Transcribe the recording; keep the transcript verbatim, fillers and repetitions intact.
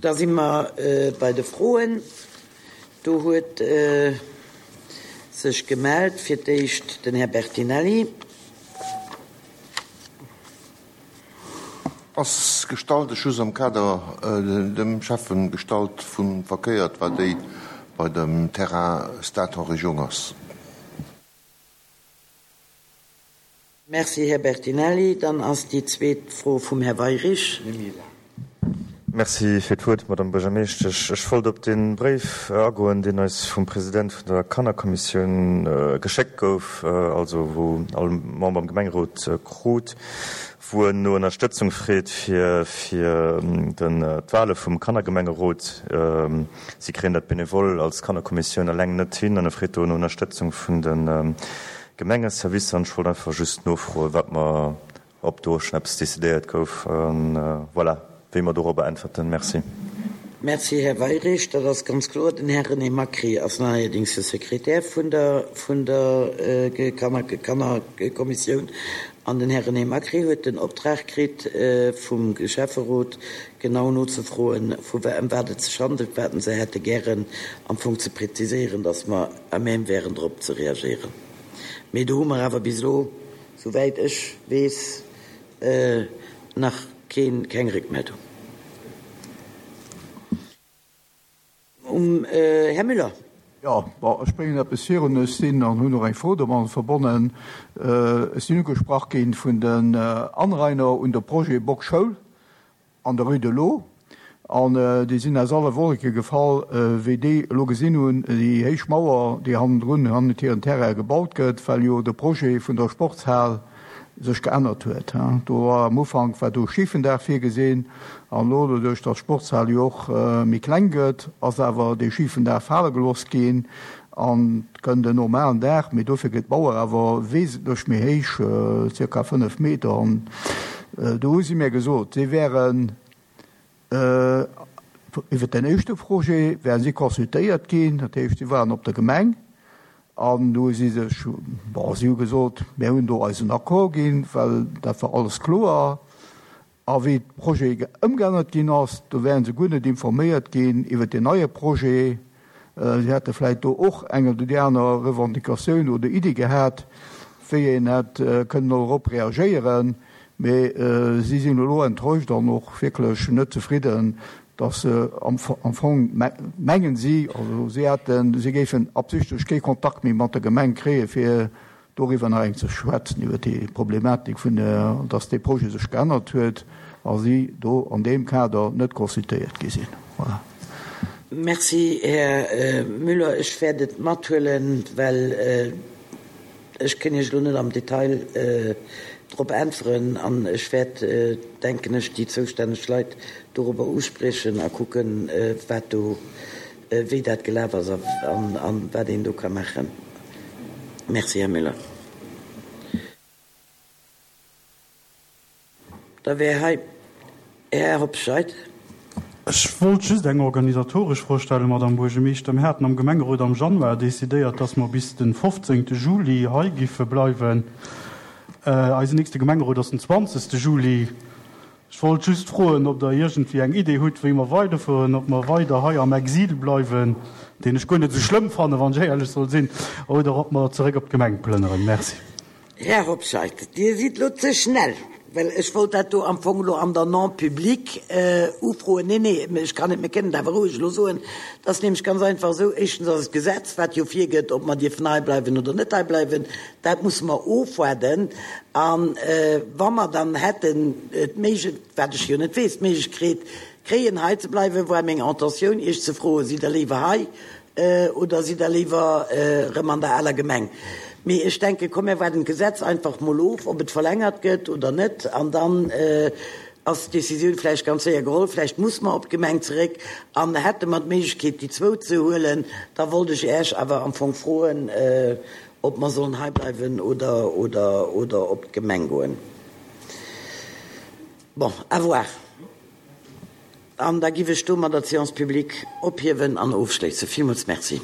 Da si mer bei de Froen. Do huet sech gemellt fir d'éischt den Här Bertinelli. Ass gestallt, ech hu se am Kader dem Schäffen gestallt vum Verkéier, war déi bei dem Terrain Stade Henri Jung ass. Merci, Här Bertinelli. Dann ass déi zweet Fro vum Här Weyrich. Merci fir d'Wuert, Madame Buergermeeschtesch. Ech wollt op de Bréif agoen, deen eis vum President vun der Kannerkommissioun geschéckt gouf, also wou all Member am Gemengerot krut, wou en no Ënnerstëtzung freet fir fir den d'Wahle vum Kannergemengerot. Si kréien dat bénévole als Kannerkommissioun eleng net hin an e freet do no Ënnerstëtzung vun de Gemengeservicer. An ech wollt einfach just nofroen, wat mer, ob do schonn eppes decidéiert gouf. An voilà, wéi mer dorobber äntwerten. Merci. Merci, Här Weyrich. Dat ass ganz kloer. Den Här René Macri ass neierdings de Sekretär vun der vun der Kanner Kannerkommissioun. An den Här René Macri huet den Optrag kritt vum Schäfferot, genau nozefroen, vu ëm wat et sech handelt, wat se hätte gären am Fong ze präziséieren, dass mer à même wären drop ze reagéieren. Mee do hu mer awer bis elo, souwäit ech weess, nach keen, keng Réckmeldung. Um Här Müller. Jo, bon, ech bréngen eppes virun. Ech sinn an hunn och eng Fro domadder verbonnen. Ech sinn ugesprach ginn vun den Anrainer un de Projet Bock Schoul an der Rue de l'Eau. An déi sinn aus alle Wolleke gefall, wéi déi elo gesinn hunn, déi héich Mauer, déi hannendrun, hannert hiren Terrain gebaut gëtt, well jo de Projet vun der Sportshal sech geännert huet. Do war am Ufank war do Schifendag virgesinn, an elo, doduerch datt d'Sportshal jo och méi kleng gëtt, ass awer dee Schifendag fale gelooss ginn an et kënnt en normalen Dag, mee dofir gëtt d'Mauer awer wesentlech méi héich, zirka fënnef Meter. An do hu si mir gesot, si wären iwwer den éischte Projet wären si consultéiert ginn, dat heescht, si waren op der Gemeng an do hu si sech, bon, si hu gesot, mir hunn do eisen Accord ginn, well dat war alles kloer. A wéi de Projet ëmgeännert ginn ass, do wären se guer net informéiert ginn iwwer deen neie Projet. Si hätte vläicht do och eng oder déi aner Revendicatioun oder Iddi gehat, wéi een hätt kënnen dorop reagéieren. Mee si sinn elo enttäuscht an och wierklech net zefridden, dass se am Fong, mengen si, also si hätten, si géifen absichtlech kee Kontakt méi mat der Gemeng kréien, fir doriwwer nach eng ze schwätzen, iwwer déi Problematik vun der, dass dee Projet sech geännert huet a si do an deem Kader net consultéiert gi sinn. Voilà. Merci, Här Müller. Ech wäert et mathuelen, well ech kënn Iech elo net am Detail drop äntweren an ech wäert, denken ech, déi zoustänneg Leit dorobber uspriechen a kucken, wat do, wéi dat gelaf ass a wat een do ka maachen. Merci, Här Müller. Da wär hei Här Hobscheit. Ech wollt just eng organisatoresch Fro stellen, Madame Buergermeeschter. Mir haten am Gemengerot am Januar decidéiert, dass mer bis de fofzéngte Juli hei giffe bleiwen. Eisen nächste Gemengerot ass den zwanzegste Juli. Ech wollt just froen, ob Der iergendwéi eng Idee hutt, wéi mer weiderfueren, ob mer weider hei am Exil bleiwen, deen ech guer net esou schlëmm fannen, wann ech éierlech soll sinn, oder ob mer zeréck op d'Gemeng plënneren. Merci. Här Hobscheit, Dir sidd elo ze schnell, well ech wollt dat do am Fong elo an der Non-publique ufroen. Nee, nee, ech kann et, mir kënnen et awer roueg elo soen. Et ass nämlech ganz einfach esou, éischtens ass et d'Gesetz, wat jo virgëtt, ob mer dierfen hei bleiwen oder net hei bleiwen. Dat musse mer ofwaarden. A wa mer dann hätten d'Méiglech, wat ech jo net weess, d'Méiglechkeet kréien, hei ze bleiwen, war meng Intentioun, Iech ze froen, Sidd Der léiwer hei oder sidd Der léiwer erëm an der aler Gemeng? Mee ech denken, komm, mir waarden d'Gesetz einfach mol of, ob et verlängert gëtt oder net, an dann ass d'Decisioun vläicht ganz séier geholl. Vläicht muss mer op d'Gemeng zeréck. An hätte mer d'Méiglechkeet, déi zwou ze huelen, da wollt ech Äech awer am Fong froen, ob mer sollen hei bleiwen oder, oder, oder op d'Gemeng goen. Bon, à voir. An da giff ech domadder d'Séance publique ophiewen an ofschléissen. Villmools Merci.